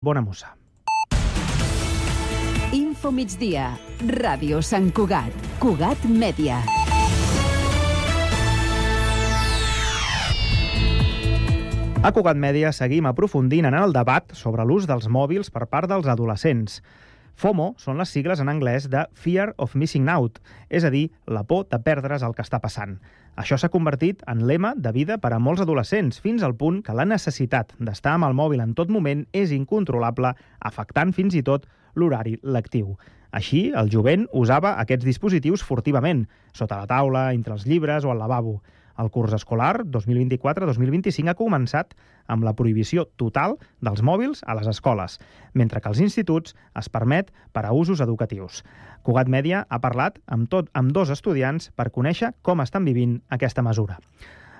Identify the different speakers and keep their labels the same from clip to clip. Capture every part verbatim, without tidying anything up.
Speaker 1: Bona mossa.
Speaker 2: Info migdia. Ràdio Sant Cugat. Cugat Mèdia.
Speaker 1: A Cugat Mèdia seguim aprofundint en el debat sobre l'ús dels mòbils per part dels adolescents. FOMO són les sigles en anglès de Fear of Missing Out, és a dir, la por de perdre's el que està passant. Això s'ha convertit en lema de vida per a molts adolescents, fins al punt que la necessitat d'estar amb el mòbil en tot moment és incontrolable, afectant fins i tot l'horari lectiu. Així, el jovent usava aquests dispositius furtivament, sota la taula, entre els llibres o al lavabo. El curs escolar dos mil vint-i-quatre dos mil vint-i-cinc ha començat amb la prohibició total dels mòbils a les escoles, mentre que als instituts es permet per a usos educatius. Cugat Mèdia ha parlat amb, tot, amb dos estudiants per conèixer com estan vivint aquesta mesura.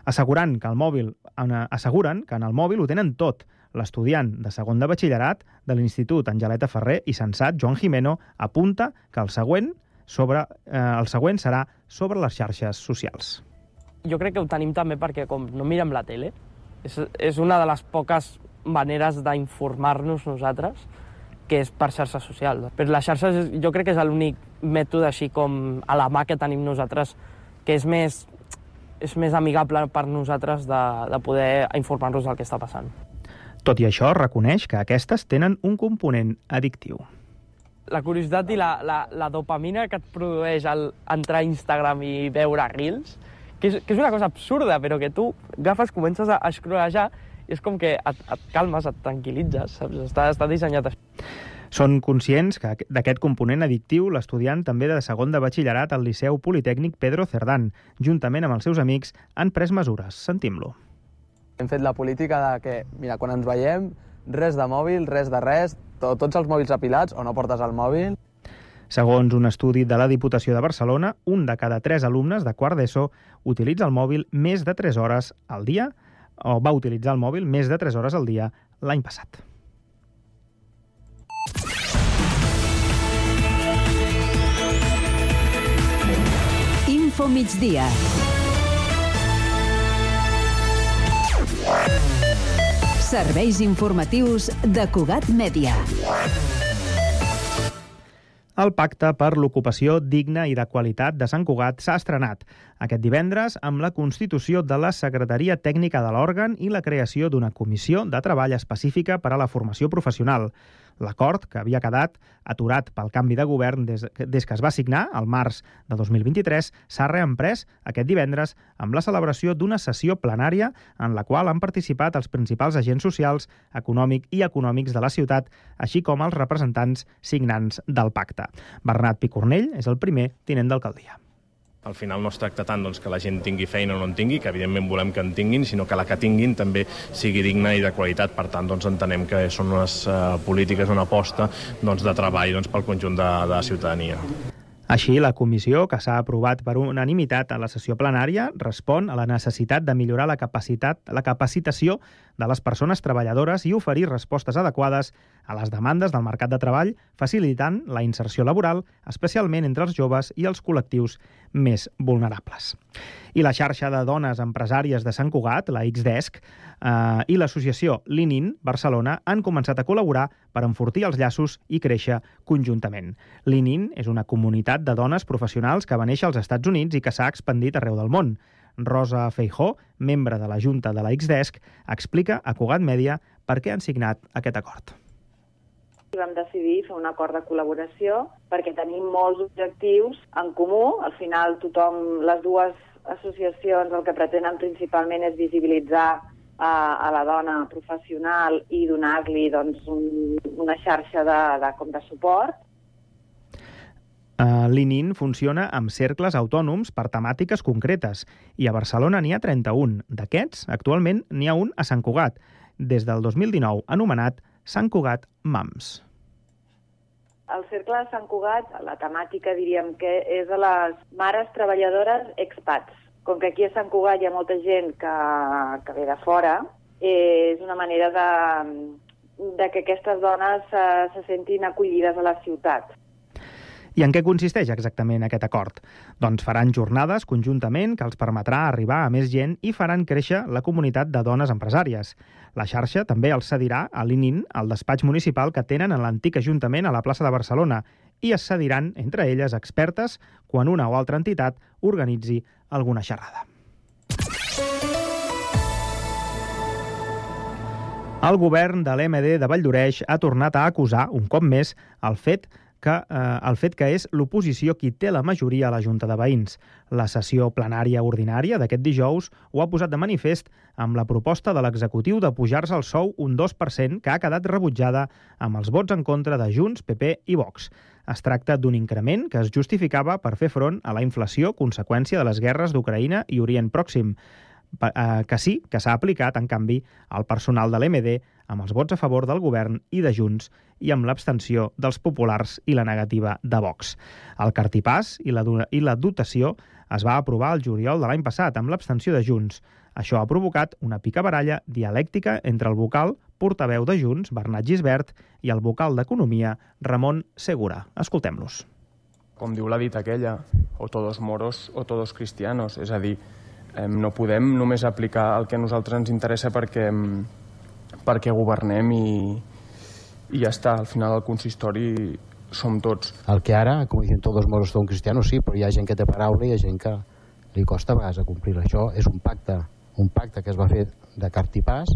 Speaker 1: Assegurant que el mòbil, asseguren que en el mòbil ho tenen tot. L'estudiant de segon de batxillerat de l'Institut Angeleta Ferrer i Sensat, Joan Jimeno, apunta que el següent, sobre, eh, el següent serà sobre les xarxes socials.
Speaker 3: Jo crec que ho tenim també perquè com no mirem la tele, és, és una de les poques maneres d'informar-nos nosaltres, que és per xarxes socials. Però les xarxes jo crec que és l'únic mètode així com a la mà que tenim nosaltres, que és més, és més amigable per nosaltres de, de poder informar-nos del que està passant.
Speaker 1: Tot i això, reconeix que aquestes tenen un component addictiu.
Speaker 3: La curiositat i la, la, la dopamina que et produeix al entrar a Instagram i veure reels, que és, que és una cosa absurda, però que tu agafes, comences a escrolejar i és com que et, et calmes, et tranquil·litzes, saps? Està, està dissenyat així.
Speaker 1: Són conscients que d'aquest component addictiu l'estudiant també de segon de batxillerat al Liceu Politècnic Pedro Cerdán, juntament amb els seus amics, han pres mesures. Sentim-lo.
Speaker 4: Hem fet la política de que, mira, quan ens veiem, res de mòbil, res de res, to, tots els mòbils apilats o no portes el mòbil.
Speaker 1: Segons un estudi de la Diputació de Barcelona, un de cada tres alumnes de quart d'ESO utilitza el mòbil més de tres hores al dia, o va utilitzar el mòbil més de tres hores al dia l'any passat.
Speaker 2: Info migdia. Serveis informatius de Cugat Mèdia.
Speaker 1: El Pacte per l'Ocupació Digna i de Qualitat de Sant Cugat s'ha estrenat aquest divendres amb la constitució de la Secretaria Tècnica de l'òrgan i la creació d'una comissió de treball específica per a la formació professional. L'acord, que havia quedat aturat pel canvi de govern des, des que es va signar, al març de dos mil vint-i-tres, s'ha reemprès aquest divendres amb la celebració d'una sessió plenària en la qual han participat els principals agents socials, econòmics i econòmics de la ciutat, així com els representants signants del pacte. Bernat Picornell és el primer tinent d'alcaldia.
Speaker 5: Al final no es tracta tant doncs, que la gent tingui feina o no en tingui, que evidentment volem que en tinguin, sinó que la que tinguin també sigui digna i de qualitat. Per tant, doncs, entenem que són unes uh, polítiques, una aposta doncs, de treball doncs, pel conjunt de, de la ciutadania.
Speaker 1: Així, la comissió, que s'ha aprovat per unanimitat a la sessió plenària, respon a la necessitat de millorar la capacitat, la capacitació de les persones treballadores i oferir respostes adequades a les demandes del mercat de treball, facilitant la inserció laboral, especialment entre els joves i els col·lectius més vulnerables. I la xarxa de dones empresàries de Sant Cugat, la Xdesk, eh, i l'associació Linin Barcelona han començat a col·laborar per enfortir els llaços i créixer conjuntament. Linin és una comunitat de dones professionals que va néixer als Estats Units i que s'ha expandit arreu del món. Rosa Feijó, membre de la Junta de la Xdesk, explica a Cugat Mèdia per què han signat aquest acord.
Speaker 6: Vam decidir fer un acord de col·laboració perquè tenim molts objectius en comú. Al final, tothom, les dues associacions, el que pretenen principalment és visibilitzar a, a la dona professional i donar-li doncs, un, una xarxa de, de, com de suport.
Speaker 1: Uh, L'Inin funciona amb cercles autònoms per temàtiques concretes i a Barcelona n'hi ha trenta-un. D'aquests, actualment n'hi ha un a Sant Cugat, des del dos mil dinou, anomenat Sant Cugat Mams.
Speaker 6: El cercle de Sant Cugat, la temàtica diríem que és a les mares treballadores expats. Com que aquí a Sant Cugat hi ha molta gent que, que ve de fora, és una manera de, de que aquestes dones se, se sentin acollides a la ciutat.
Speaker 1: I en què consisteix exactament aquest acord? Doncs faran jornades conjuntament que els permetrà arribar a més gent i faran créixer la comunitat de dones empresàries. La xarxa també els cedirà a l'I N I N, el despatx municipal que tenen en l'antic Ajuntament a la plaça de Barcelona, i es cediran, entre elles, expertes quan una o altra entitat organitzi alguna xerrada. El govern de l'E M D de Valldoreix ha tornat a acusar, un cop més, el fet que, eh, el fet que és l'oposició qui té la majoria a la Junta de Veïns. La sessió plenària ordinària d'aquest dijous ho ha posat de manifest amb la proposta de l'executiu de pujar-se el sou un dos per cent que ha quedat rebutjada amb els vots en contra de Junts, P P i Vox. Es tracta d'un increment que es justificava per fer front a la inflació conseqüència de les guerres d'Ucraïna i Orient Pròxim, que sí que s'ha aplicat, en canvi, al personal de l'E M D amb els vots a favor del govern i de Junts i amb l'abstenció dels populars i la negativa de Vox. El cartipàs i la, i la dotació es va aprovar el juliol de l'any passat amb l'abstenció de Junts. Això ha provocat una picabaralla dialèctica entre el vocal portaveu de Junts, Bernat Gisbert, i el vocal d'Economia, Ramon Segura. Escoltem-los.
Speaker 7: Com diu la dita aquella, o todos moros o todos cristianos, és a dir, no podem només aplicar el que a nosaltres ens interessa perquè, perquè governem i, i ja està. Al final el consistori som tots.
Speaker 8: El que ara, com dicen, tots moros són cristianos, sí, però hi ha gent que té paraula i hi ha gent que li costa a vegades a complir. Això és un pacte, un pacte que es va fer de cartipàs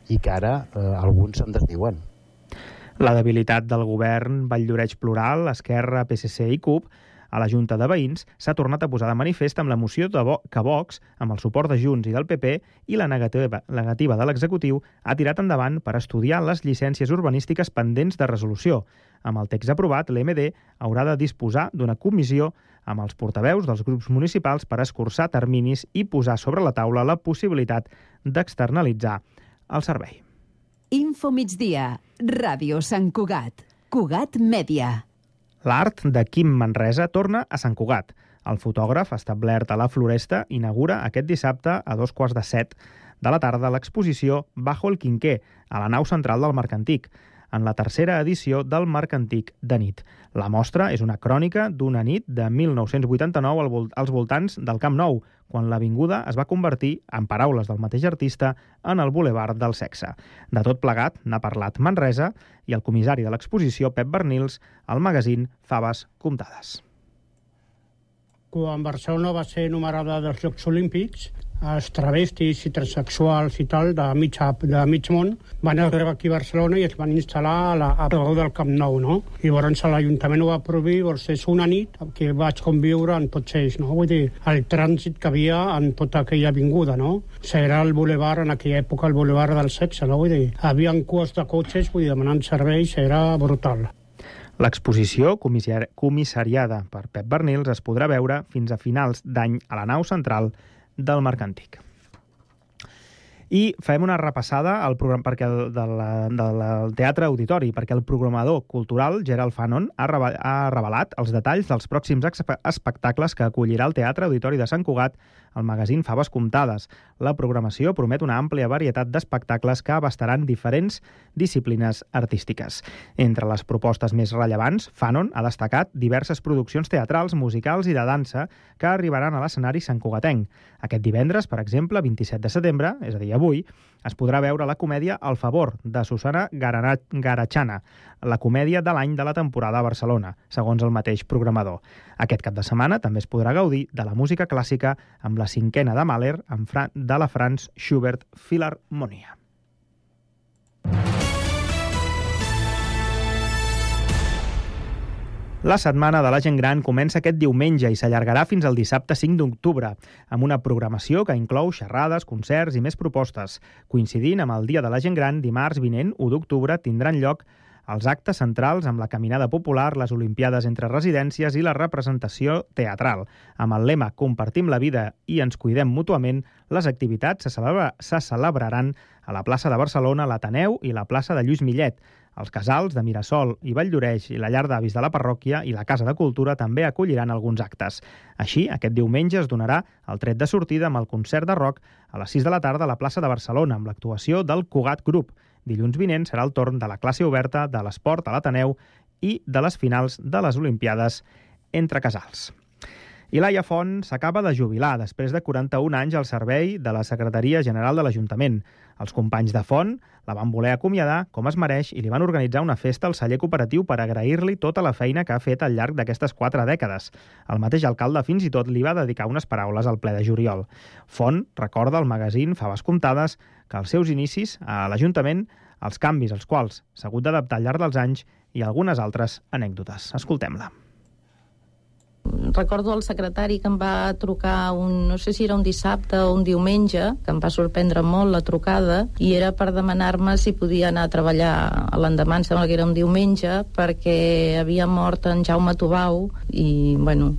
Speaker 8: i que ara eh, alguns se'n desdiuen.
Speaker 1: La debilitat del govern Valldoreix Plural, Esquerra, P S C i C U P a la Junta de Veïns s'ha tornat a posar de manifest amb la moció de Vo que Vox, amb el suport de Junts i del P P i la negativa, la negativa de l'executiu, ha tirat endavant per estudiar les llicències urbanístiques pendents de resolució. Amb el text aprovat, l'E M D haurà de disposar d'una comissió amb els portaveus dels grups municipals per escurçar terminis i posar sobre la taula la possibilitat d'externalitzar el servei.
Speaker 2: Info migdia, Ràdio Sant Cugat, Cugat Mèdia.
Speaker 1: L'art de Quim Manresa torna a Sant Cugat. El fotògraf, establert a la Floresta, inaugura aquest dissabte a dos quarts de set de la tarda l'exposició Bajo el Quinqué, a la nau central del Mercantic, en la tercera edició del Mercantic de nit. La mostra és una crònica d'una nit de mil nou-cents vuitanta-nou als voltants del Camp Nou, quan l'avinguda es va convertir, en paraules del mateix artista, en el bulevard del sexe. De tot plegat n'ha parlat Manresa i el comissari de l'exposició, Pep Bernils, al magazín Faves Comptades.
Speaker 9: Quan Barcelona va ser numerada dels Jocs Olímpics, els travestis i transexuals i tal de mig, de mig món van arribar aquí a Barcelona i es van instal·lar a la, a prop del Camp Nou, no? I llavors l'Ajuntament ho va prohibir, doncs és una nit que vaig conviure amb tots ells, no? Vull dir, el trànsit que havia en tota aquella avinguda, no? O sigui, era el bulevard, en aquella època, el bulevard del sexe, no? Vull dir, havia cues de cotxes, vull dir, demanant serveis, era brutal.
Speaker 1: L'exposició, comissariada per Pep Bernils, es podrà veure fins a finals d'any a la nau central del Mercantic. I fem una repassada al programa perquè el, de la, del Teatre Auditori, perquè el programador cultural Gerald Fanon ha, reva, ha revelat els detalls dels pròxims espectacles que acollirà el Teatre Auditori de Sant Cugat al magazín Faves Comptades. La programació promet una àmplia varietat d'espectacles que abastaran diferents disciplines artístiques. Entre les propostes més rellevants, Fanon ha destacat diverses produccions teatrals, musicals i de dansa que arribaran a l'escenari santcugatenc. Aquest divendres, per exemple, vint-i-set de setembre, és a dir, avui, es podrà veure la comèdia El favor, de Susana Garachana, la comèdia de l'any de la temporada a Barcelona, segons el mateix programador. Aquest cap de setmana també es podrà gaudir de la música clàssica amb la cinquena de Mahler de la Franz Schubert Filharmonia. La Setmana de la Gent Gran comença aquest diumenge i s'allargarà fins al dissabte cinc d'octubre, amb una programació que inclou xerrades, concerts i més propostes. Coincidint amb el Dia de la Gent Gran, dimarts vinent, u d'octubre, tindran lloc els actes centrals amb la caminada popular, les olimpiades entre residències i la representació teatral. Amb el lema Compartim la vida i ens cuidem mútuament, les activitats se, celebra, se celebraran a la plaça de Barcelona, l'Ateneu i la plaça de Lluís Millet. Els casals de Mirasol i Valldoreix i la llar d'avis de la parròquia i la Casa de Cultura també acolliran alguns actes. Així, aquest diumenge es donarà el tret de sortida amb el concert de rock a les sis de la tarda a la plaça de Barcelona amb l'actuació del Cugat Group. Dilluns vinent serà el torn de la classe oberta de l'esport a l'Ateneu i de les finals de les Olimpiades entre casals. I Laia Font s'acaba de jubilar després de quaranta-un anys al servei de la Secretaria General de l'Ajuntament. Els companys de Font la van voler acomiadar com es mereix i li van organitzar una festa al celler cooperatiu per agrair-li tota la feina que ha fet al llarg d'aquestes quatre dècades. El mateix alcalde fins i tot li va dedicar unes paraules al ple de juliol. Font recorda al magazín Faves Comptades que als seus inicis a l'Ajuntament els canvis als quals s'ha hagut d'adaptar al llarg dels anys i algunes altres anècdotes. Escoltem-la.
Speaker 10: Recordo el secretari que em va trucar, un, no sé si era un dissabte o un diumenge, que em va sorprendre molt la trucada, i era per demanar-me si podia anar a treballar a l'endemà, em sembla que era un diumenge, perquè havia mort en Jaume Tubau, i, bueno,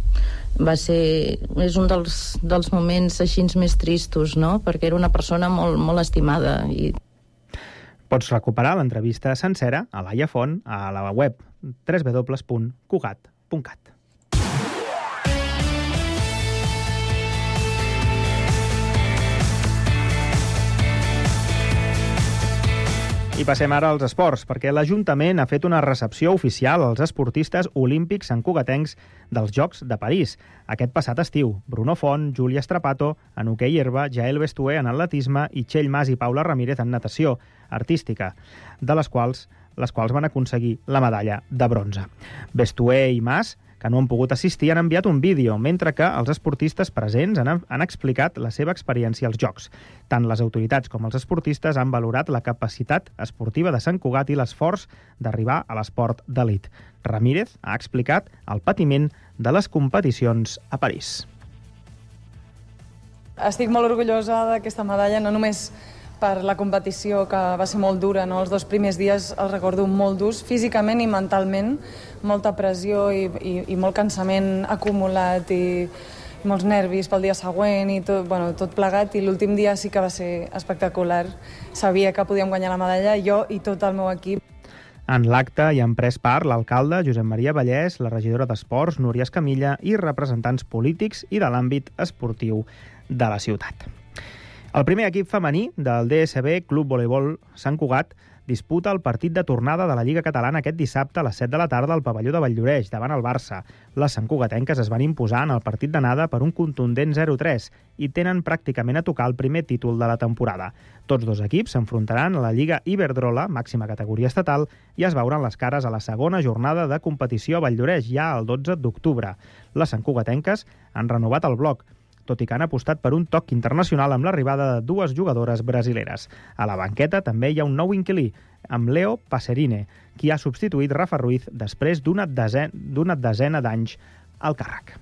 Speaker 10: va ser... és un dels, dels moments així més tristos, no?, perquè era una persona molt, molt estimada. I...
Speaker 1: Pots recuperar l'entrevista sencera a Laia Font a la web w w w punt cugat punt cat. I passem ara als esports, perquè l'Ajuntament ha fet una recepció oficial als esportistes olímpics santcugatencs dels Jocs de París. Aquest passat estiu, Bruno Font, Júlia Strapato en hoquei herba, Jael Bestué en atletisme i Txell Mas i Paula Ramírez en natació artística, de les quals, les quals van aconseguir la medalla de bronze. Bestué i Mas, que no han pogut assistir, han enviat un vídeo, mentre que els esportistes presents han, han explicat la seva experiència als Jocs. Tant les autoritats com els esportistes han valorat la capacitat esportiva de Sant Cugat i l'esforç d'arribar a l'esport d'elit. Ramírez ha explicat el patiment de les competicions a París.
Speaker 11: Estic molt orgullosa d'aquesta medalla, no només per la competició, que va ser molt dura, no? Els dos primers dies els recordo molt durs, físicament i mentalment, molta pressió i, i, i molt cansament acumulat i molts nervis pel dia següent i tot, bueno, tot plegat, i l'últim dia sí que va ser espectacular. Sabia que podíem guanyar la medalla, jo i tot el meu equip.
Speaker 1: En l'acte hi han pres part l'alcalde Josep Maria Vallès, la regidora d'Esports Núria Escamilla i representants polítics i de l'àmbit esportiu de la ciutat. El primer equip femení del D S B Club Voleibol Sant Cugat disputa el partit de tornada de la Lliga Catalana aquest dissabte a les set de la tarda al pavelló de Valldoreix, davant el Barça. Les santcugatenques es van imposar en el partit d'anada per un contundent zero tres i tenen pràcticament a tocar el primer títol de la temporada. Tots dos equips s'enfrontaran a la Lliga Iberdrola, màxima categoria estatal, i es veuran les cares a la segona jornada de competició a Valldoreix, ja el dotze d'octubre. Les santcugatenques han renovat el bloc, tot i que han apostat per un toc internacional amb l'arribada de dues jugadores brasileres. A la banqueta també hi ha un nou inquilí, amb Leo Passerine, qui ha substituït Rafa Ruiz després d'una desena, d'una desena d'anys al càrrec.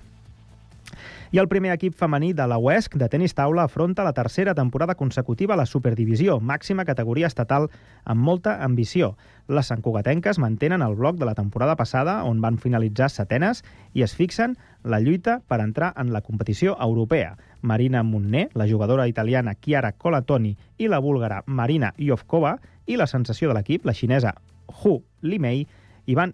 Speaker 1: I el primer equip femení de la U E S C de tenis taula afronta la tercera temporada consecutiva a la Superdivisió, màxima categoria estatal amb molta ambició. Les santcugatenques mantenen el bloc de la temporada passada, on van finalitzar setenes, i es fixen la lluita per entrar en la competició europea. Marina Munné, la jugadora italiana Chiara Colatoni i la búlgara Marina Iovkova, i la sensació de l'equip, la xinesa Hu Limei, i van,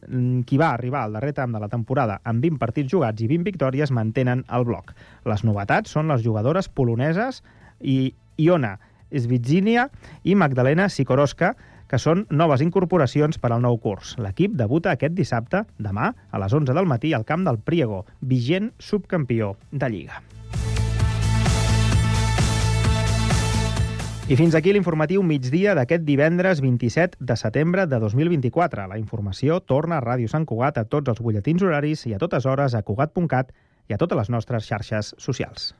Speaker 1: qui va arribar al darrer tram de la temporada amb vint partits jugats i vint victòries, mantenen el bloc. Les novetats són les jugadores poloneses i Iona Svitzinia i Magdalena Sikorowska, que són noves incorporacions per al nou curs. L'equip debuta aquest dissabte, demà, a les onze del matí, al camp del Priego, vigent subcampió de Lliga. I fins aquí l'informatiu migdia d'aquest divendres vint-i-set de setembre de dos mil vint-i-quatre. La informació torna a Ràdio Sant Cugat a tots els butlletins horaris i a totes hores a cugat punt cat i a totes les nostres xarxes socials.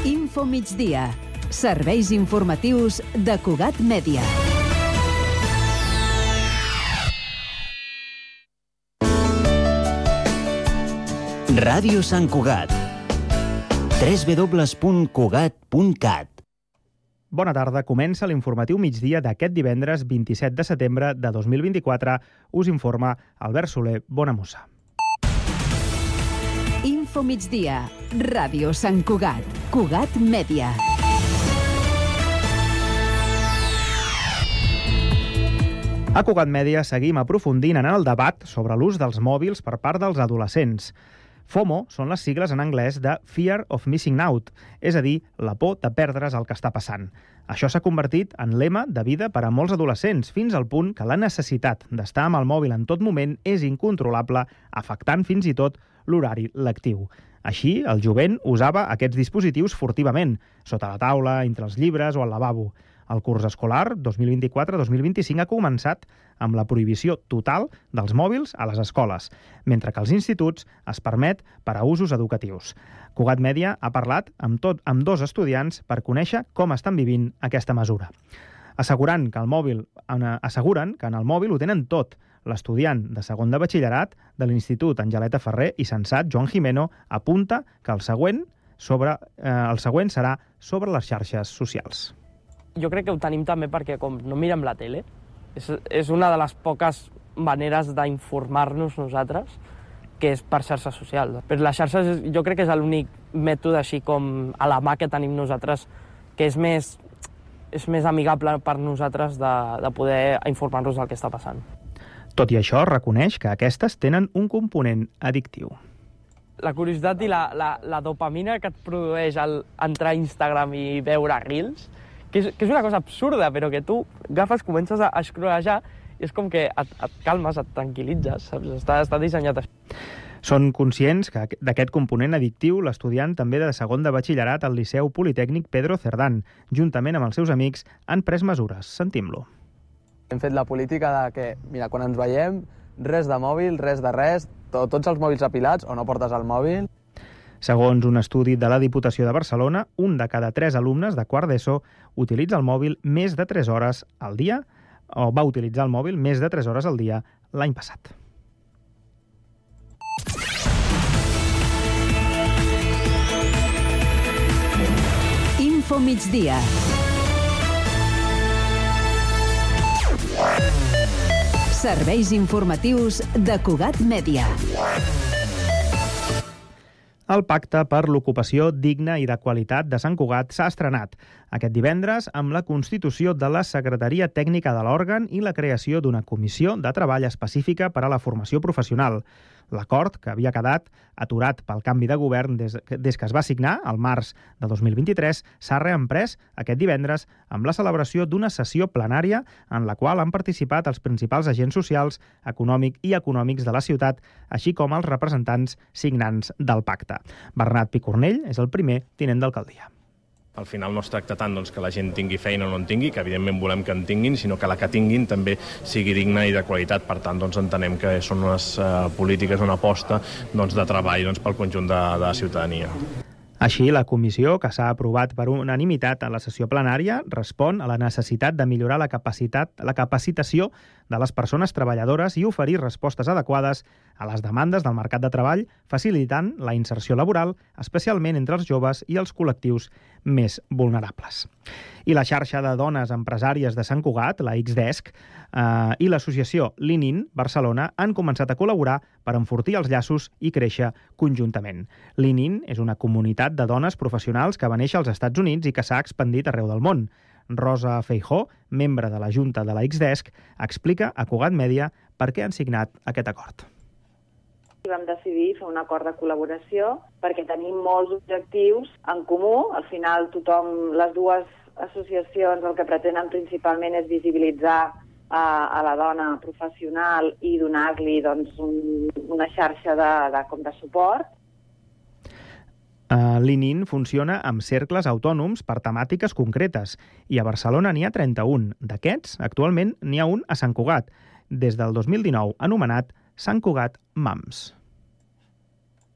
Speaker 2: Info migdia. Serveis informatius de Cugat Mèdia.
Speaker 12: Ràdio Sant Cugat. w w w punt cugat punt cat.
Speaker 1: Bona tarda, comença l'informatiu migdia d'aquest divendres vint-i-set de setembre de dos mil vint-i-quatre. Us informa Albert Soler Bonamussa.
Speaker 2: Info migdia. Ràdio Sant Cugat. Cugat Mèdia.
Speaker 1: A Cugat Mèdia seguim aprofundint en el debat sobre l'ús dels mòbils per part dels adolescents. FOMO són les sigles en anglès de Fear of Missing Out, és a dir, la por de perdre's el que està passant. Això s'ha convertit en lema de vida per a molts adolescents, fins al punt que la necessitat d'estar amb el mòbil en tot moment és incontrolable, afectant fins i tot l'horari lectiu. Així, el jovent usava aquests dispositius furtivament, sota la taula, entre els llibres o al lavabo. El curs escolar dos mil vint-i-quatre dos mil vint-i-cinc ha començat amb la prohibició total dels mòbils a les escoles, mentre que als instituts es permet per a usos educatius. Cugat Mèdia ha parlat amb, tot, amb dos estudiants per conèixer com estan vivint aquesta mesura. Assegurant que el mòbil, asseguren que en el mòbil ho tenen tot. L'estudiant de segon de batxillerat de l'Institut Angeleta Ferrer i Sensat, Joan Jimeno, apunta que el següent, sobre, eh, el següent serà sobre les xarxes socials.
Speaker 3: Jo crec que ho tenim també perquè com no mirem la tele, és, és una de les poques maneres d'informar-nos nosaltres, que és per xarxes socials. Per les xarxes jo crec que és l'únic mètode així com a la mà que tenim nosaltres, que és més, és més amigable per nosaltres de, de poder informar-nos del que està passant.
Speaker 1: Tot i això, reconeix que aquestes tenen un component addictiu.
Speaker 3: La curiositat i la, la, la dopamina que et produeix al entrar a Instagram i veure reels, que és, que és una cosa absurda, però que tu agafes, comences a escrolejar i és com que et, et calmes, et tranquil·litzes, saps? Està, està dissenyat així.
Speaker 1: Són conscients que d'aquest component addictiu l'estudiant també de segon de batxillerat al Liceu Politècnic Pedro Cerdán, juntament amb els seus amics, han pres mesures. Sentim-lo.
Speaker 4: Hem fet la política de que, mira, quan ens veiem, res de mòbil, res de res, to, tots els mòbils apilats o no portes el mòbil.
Speaker 1: Segons un estudi de la Diputació de Barcelona, un de cada tres alumnes de quart d'ESO utilitza el mòbil més de tres hores al dia, o va utilitzar el mòbil més de tres hores al dia l'any passat.
Speaker 2: Info migdia. Serveis informatius de Cugat Mèdia.
Speaker 1: El Pacte per l'Ocupació Digna i de Qualitat de Sant Cugat s'ha estrenat aquest divendres amb la constitució de la Secretaria Tècnica de l'òrgan i la creació d'una comissió de treball específica per a la formació professional. L'acord, que havia quedat aturat pel canvi de govern des, des que es va signar, al març de dos mil vint-i-tres, s'ha reemprès aquest divendres amb la celebració d'una sessió plenària en la qual han participat els principals agents socials, econòmics i econòmics de la ciutat, així com els representants signants del pacte. Bernat Picornell és el primer tinent d'alcaldia.
Speaker 5: Al final no es tracta tant doncs, que la gent tingui feina o no en tingui, que evidentment volem que en tinguin, sinó que la que tinguin també sigui digna i de qualitat. Per tant, doncs, entenem que són unes uh, polítiques, una aposta doncs, de treball doncs, pel conjunt de, de la ciutadania.
Speaker 1: Així, la comissió, que s'ha aprovat per unanimitat a la sessió plenària, respon a la necessitat de millorar la capacitat, la capacitació de les persones treballadores i oferir respostes adequades a les demandes del mercat de treball, facilitant la inserció laboral, especialment entre els joves i els col·lectius més vulnerables. I la xarxa de dones empresàries de Sant Cugat, la Xdesk, eh, i l'associació Linin Barcelona han començat a col·laborar per enfortir els llaços i créixer conjuntament. Linin és una comunitat de dones professionals que va néixer als Estats Units i que s'ha expandit arreu del món. Rosa Feijó, membre de la Junta de la Xdesk, explica a Cugat Mèdia per què han signat aquest acord.
Speaker 6: Vam decidir fer un acord de col·laboració perquè tenim molts objectius en comú. Al final, tothom, les dues associacions, el que pretenen principalment és visibilitzar a, a la dona professional i donar-li doncs, un, una xarxa de, de, com de suport.
Speaker 1: Uh, L'Inin funciona amb cercles autònoms per temàtiques concretes i a Barcelona n'hi ha trenta-un. D'aquests, actualment n'hi ha un a Sant Cugat, des del dos mil dinou, anomenat Sant Cugat Mams.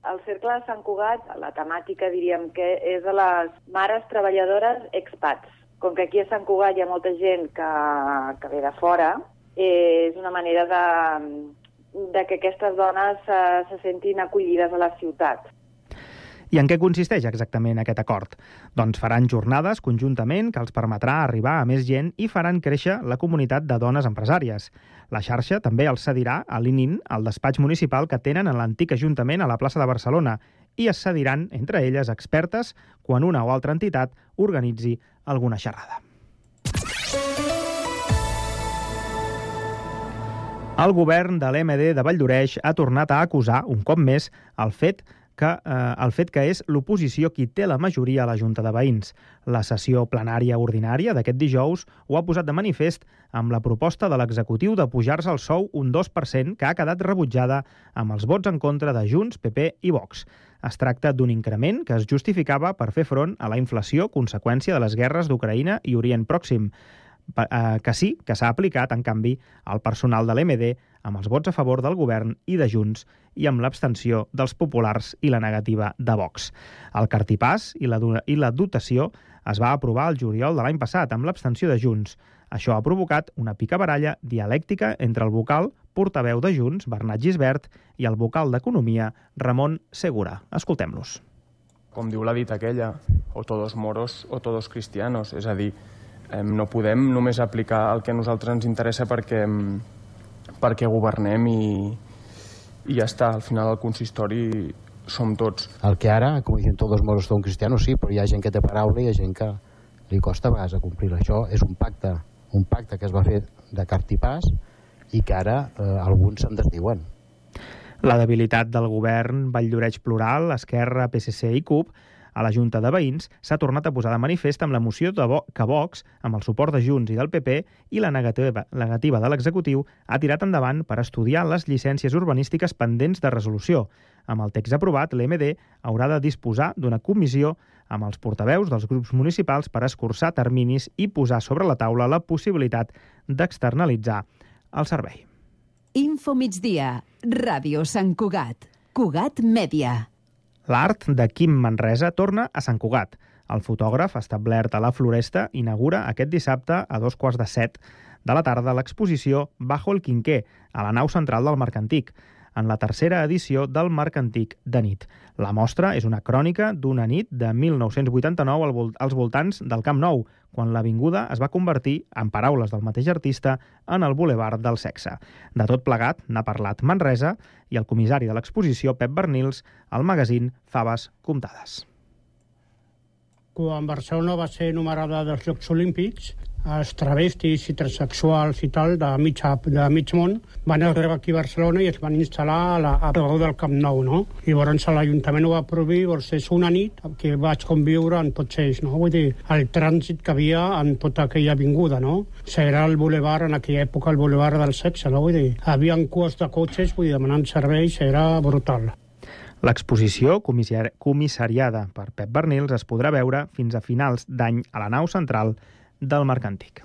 Speaker 6: El cercle de Sant Cugat, la temàtica diríem que és a les mares treballadores expats. Com que aquí a Sant Cugat hi ha molta gent que, que ve de fora, és una manera de, de que aquestes dones se, se sentin acollides a la ciutat.
Speaker 1: I en què consisteix exactament aquest acord? Doncs faran jornades conjuntament que els permetrà arribar a més gent i faran créixer la comunitat de dones empresàries. La xarxa també els cedirà a l'Inin, el despatx municipal que tenen en l'antic Ajuntament a la plaça de Barcelona, i es cediran entre elles expertes quan una o altra entitat organitzi alguna xerrada. El govern de l'M D de Valldoreix ha tornat a acusar, un cop més, el fet que, eh, el fet que és l'oposició qui té la majoria a la Junta de Veïns. La sessió plenària ordinària d'aquest dijous ho ha posat de manifest amb la proposta de l'executiu de pujar-se el sou un dos per cent que ha quedat rebutjada amb els vots en contra de Junts, P P i Vox. Es tracta d'un increment que es justificava per fer front a la inflació conseqüència de les guerres d'Ucraïna i Orient Pròxim, que sí que s'ha aplicat, en canvi, al personal de l'M D amb els vots a favor del govern i de Junts i amb l'abstenció dels populars i la negativa de Vox. El cartipàs i la, i la dotació es va aprovar el juliol de l'any passat amb l'abstenció de Junts. Això ha provocat una picabaralla dialèctica entre el vocal portaveu de Junts, Bernat Gisbert, i el vocal d'Economia, Ramon Segura. Escoltem-los.
Speaker 7: Com diu la dita aquella, o todos moros o todos cristianos, és a dir, no podem només aplicar el que a nosaltres ens interessa perquè, perquè governem i, i ja està. Al final el consistori som tots.
Speaker 8: El que ara, com dicen todos moros son cristianos, sí, però hi ha gent que té paraula i hi ha gent que li costa a vegades a complir. Això és un pacte, un pacte que es va fer de cartipàs i que ara eh, alguns se'n desdiuen.
Speaker 1: La debilitat del govern Valldoreix Plural, Esquerra, P S C i CUP a la Junta de Veïns s'ha tornat a posar de manifest amb la moció de Vo que Vox, amb el suport de Junts i del P P i la negativa, negativa de l'executiu, ha tirat endavant per estudiar les llicències urbanístiques pendents de resolució. Amb el text aprovat, l'M D haurà de disposar d'una comissió amb els portaveus dels grups municipals per escurçar terminis i posar sobre la taula la possibilitat d'externalitzar el servei.
Speaker 2: Info migdia, Ràdio Sant Cugat, Cugat Mèdia.
Speaker 1: L'art de Quim Manresa torna a Sant Cugat. El fotògraf, establert a la Floresta, inaugura aquest dissabte a dos quarts de set de la tarda l'exposició Bajo el Quinqué, a la nau central del Mercantic, en la tercera edició del Mercantic de nit. La mostra és una crònica d'una nit de mil nou-cents vuitanta-nou als voltants del Camp Nou, quan l'avinguda es va convertir, en paraules del mateix artista, en el bulevard del sexe. De tot plegat n'ha parlat Manresa i el comissari de l'exposició, Pep Bernils, al magazín Faves Comptades.
Speaker 9: Quan Barcelona va ser numerada dels Jocs Olímpics, els travestis i transexuals i tal de mig, de mig món van arribar aquí a Barcelona i es van instal·lar a la, a prop del Camp Nou, no? I llavors l'Ajuntament ho va prohibir, llavors és una nit que vaig conviure en tots ells, no? Vull dir, el trànsit que havia en tota aquella avinguda, no? Serà el bulevard, en aquella època, el bulevard del sexe, no? Vull dir, havia cues de cotxes, vull dir, demanant serveis, era brutal.
Speaker 1: L'exposició, comissariada per Pep Bernils, es podrà veure fins a finals d'any a la nau central del Mercantic.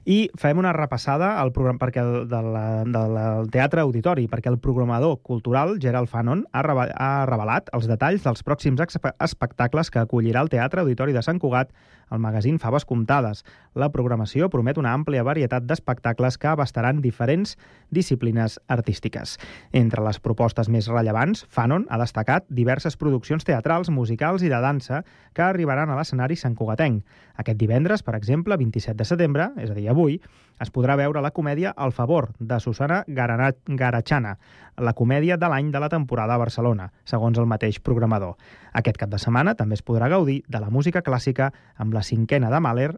Speaker 1: I fem una repassada al programa perquè el, de la, de la, del Teatre Auditori, perquè el programador cultural Gerald Fanon ha, reva, ha revelat els detalls dels pròxims espectacles que acollirà el Teatre Auditori de Sant Cugat al magazín Faves Comptades. La programació promet una àmplia varietat d'espectacles que abastaran diferents disciplines artístiques. Entre les propostes més rellevants, Fanon ha destacat diverses produccions teatrals, musicals i de dansa que arribaran a l'escenari santcugatenc. Aquest divendres, per exemple, vint-i-set de setembre, és a dir, avui, es podrà veure la comèdia El favor, de Susana Garachana, la comèdia de l'any de la temporada a Barcelona, segons el mateix programador. Aquest cap de setmana també es podrà gaudir de la música clàssica amb la cinquena de Mahler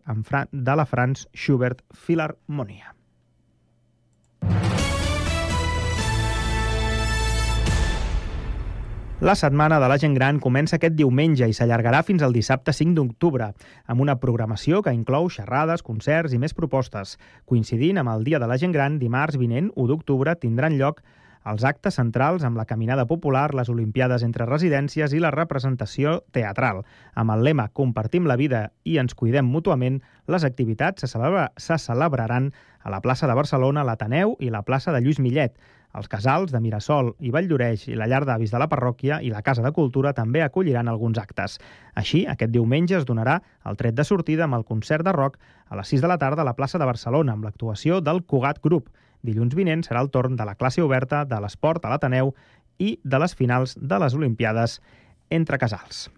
Speaker 1: de la Franz Schubert Filharmonia. La Setmana de la Gent Gran comença aquest diumenge i s'allargarà fins al dissabte cinc d'octubre, amb una programació que inclou xerrades, concerts i més propostes. Coincidint amb el Dia de la Gent Gran, dimarts vinent, u d'octubre, tindran lloc els actes centrals amb la caminada popular, les Olimpiades entre residències i la representació teatral. Amb el lema Compartim la vida i ens cuidem mútuament, les activitats se, celebra, se celebraran a la plaça de Barcelona, l'Ateneu i la plaça de Lluís Millet. Els casals de Mirasol i Valldoreix i la llar d'avis de la parròquia i la Casa de Cultura també acolliran alguns actes. Així, aquest diumenge es donarà el tret de sortida amb el concert de rock a les sis de la tarda a la plaça de Barcelona, amb l'actuació del Cugat Group. Dilluns vinent serà el torn de la classe oberta, de l'esport a l'Ateneu i de les finals de les Olimpiades entre casals.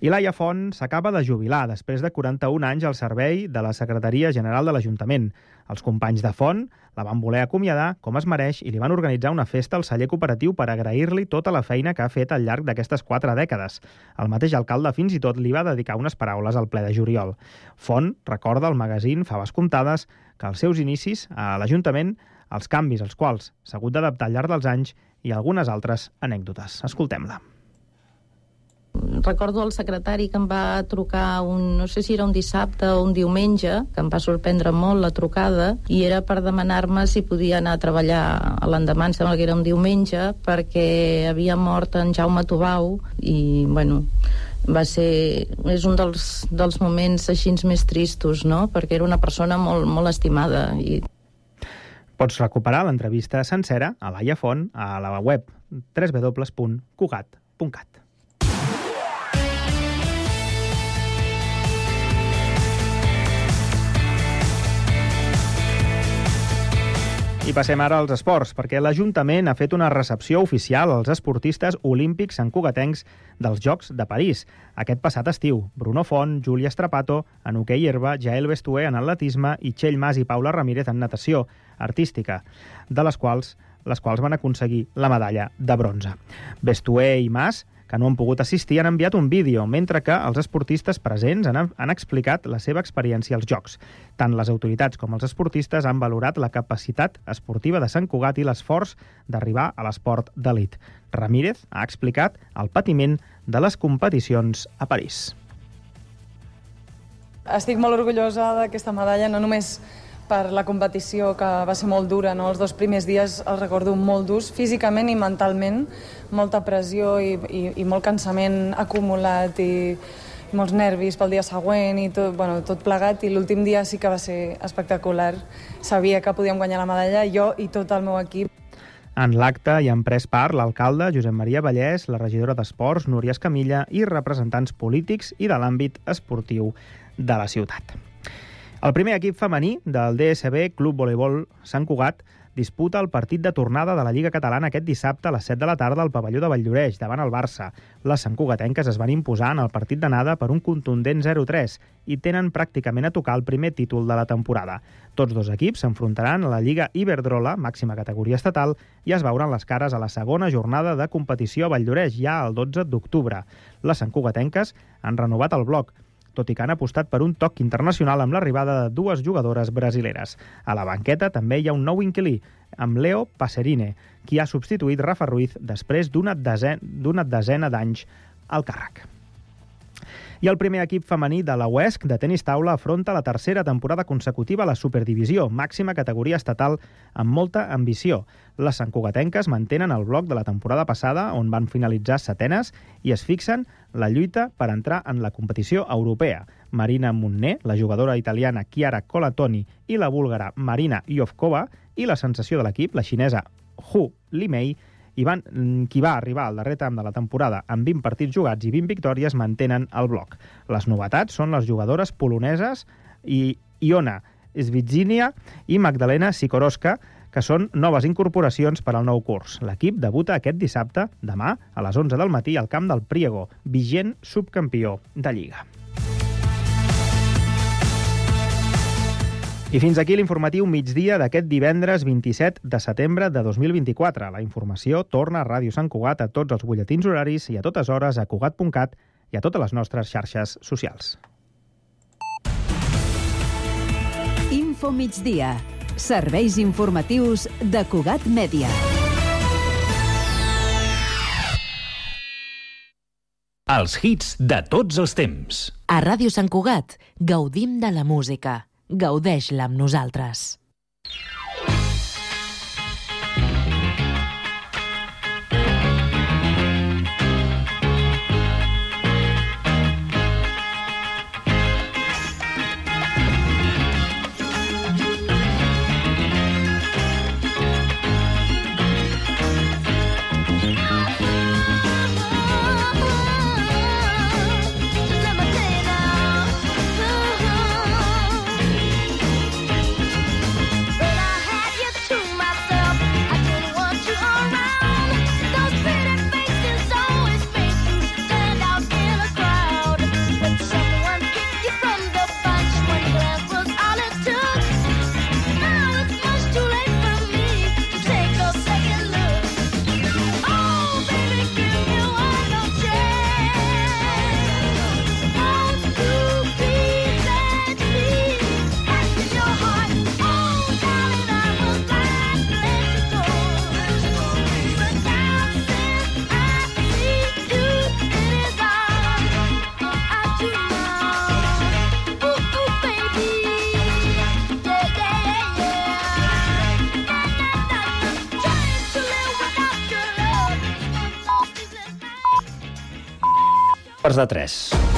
Speaker 1: I Laia Font s'acaba de jubilar després de quaranta-un anys al servei de la Secretaria General de l'Ajuntament. Els companys de Font la van voler acomiadar com es mereix i li van organitzar una festa al celler cooperatiu per agrair-li tota la feina que ha fet al llarg d'aquestes quatre dècades. El mateix alcalde fins i tot li va dedicar unes paraules al ple de juliol. Font recorda al magazín Faves Comptades que als seus inicis a l'Ajuntament els canvis als quals s'ha hagut d'adaptar al llarg dels anys i algunes altres anècdotes. Escoltem-la.
Speaker 10: Recordo el secretari que em va trucar, un, no sé si era un dissabte o un diumenge, que em va sorprendre molt la trucada, i era per demanar-me si podia anar a treballar a l'endemà, em sembla que era un diumenge, perquè havia mort en Jaume Tubau, i, bueno, va ser... és un dels, dels moments així més tristos, no?, perquè era una persona molt, molt estimada. I...
Speaker 1: Pots recuperar l'entrevista sencera a Laia Font a la web w w w punt cugat punt cat. I passem ara als esports, perquè l'Ajuntament ha fet una recepció oficial als esportistes olímpics santcugatencs dels Jocs de París aquest passat estiu. Bruno Font, Júlia Strapato en hoquei herba, Jael Bestué en atletisme i Txell Mas i Paula Ramírez en natació artística, de les quals les quals van aconseguir la medalla de bronze. Bestué i Mas, que no han pogut assistir, han enviat un vídeo, mentre que els esportistes presents han, han explicat la seva experiència als Jocs. Tant les autoritats com els esportistes han valorat la capacitat esportiva de Sant Cugat i l'esforç d'arribar a l'esport d'elit. Ramírez ha explicat el patiment de les competicions a París.
Speaker 11: Estic molt orgullosa d'aquesta medalla, no només per la competició, que va ser molt dura, no? Els dos primers dies els recordo molt durs, físicament i mentalment, molta pressió i, i, i molt cansament acumulat i, i molts nervis pel dia següent i tot, bueno, tot plegat, i l'últim dia sí que va ser espectacular. Sabia que podíem guanyar la medalla, jo i tot el meu equip.
Speaker 1: En l'acte hi han pres part l'alcalde Josep Maria Vallès, la regidora d'Esports Núria Escamilla i representants polítics i de l'àmbit esportiu de la ciutat. El primer equip femení del D S B Club Voleibol Sant Cugat disputa el partit de tornada de la Lliga Catalana aquest dissabte a les set de la tarda al pavelló de Valldoreix, davant el Barça. Les santcugatenques es van imposar en el partit d'anada per un contundent zero tres i tenen pràcticament a tocar el primer títol de la temporada. Tots dos equips s'enfrontaran a la Lliga Iberdrola, màxima categoria estatal, i es veuran les cares a la segona jornada de competició a Valldoreix, ja el dotze d'octubre. Les santcugatenques han renovat el bloc, tot i que han apostat per un toc internacional amb l'arribada de dues jugadores brasileres. A la banqueta també hi ha un nou inquilí, amb Leo Passerine, qui ha substituït Rafa Ruiz després d'una desena, d'una desena d'anys al càrrec. I el primer equip femení de la U E S C de tenis taula afronta la tercera temporada consecutiva a la Superdivisió, màxima categoria estatal amb molta ambició. Les santcugatenques mantenen el bloc de la temporada passada, on van finalitzar setenes, i es fixen la lluita per entrar en la competició europea. Marina Munné, la jugadora italiana Chiara Colatoni i la búlgara Marina Iovkova, i la sensació de l'equip, la xinesa Hu Limei, i van, qui va arribar al darrer tram de la temporada amb vint partits jugats i vint victòries, mantenen el bloc. Les novetats són les jugadores poloneses i Iona Svitzinia i Magdalena Sikorowska, que són noves incorporacions per al nou curs. L'equip debuta aquest dissabte, demà, a les onze del matí, al camp del Priego, vigent subcampió de Lliga. I fins aquí l'informatiu migdia d'aquest divendres vint-i-set de setembre de dos mil vint-i-quatre. La informació torna a Ràdio Sant Cugat a tots els butlletins horaris i a totes hores a cugat punt cat i a totes les nostres xarxes socials.
Speaker 2: Info migdia. Serveis informatius de Cugat Mèdia.
Speaker 13: Els hits de tots els temps.
Speaker 14: A Ràdio Sant Cugat gaudim de la música. Gaudeix-la amb nosaltres.
Speaker 15: Quarts de tres.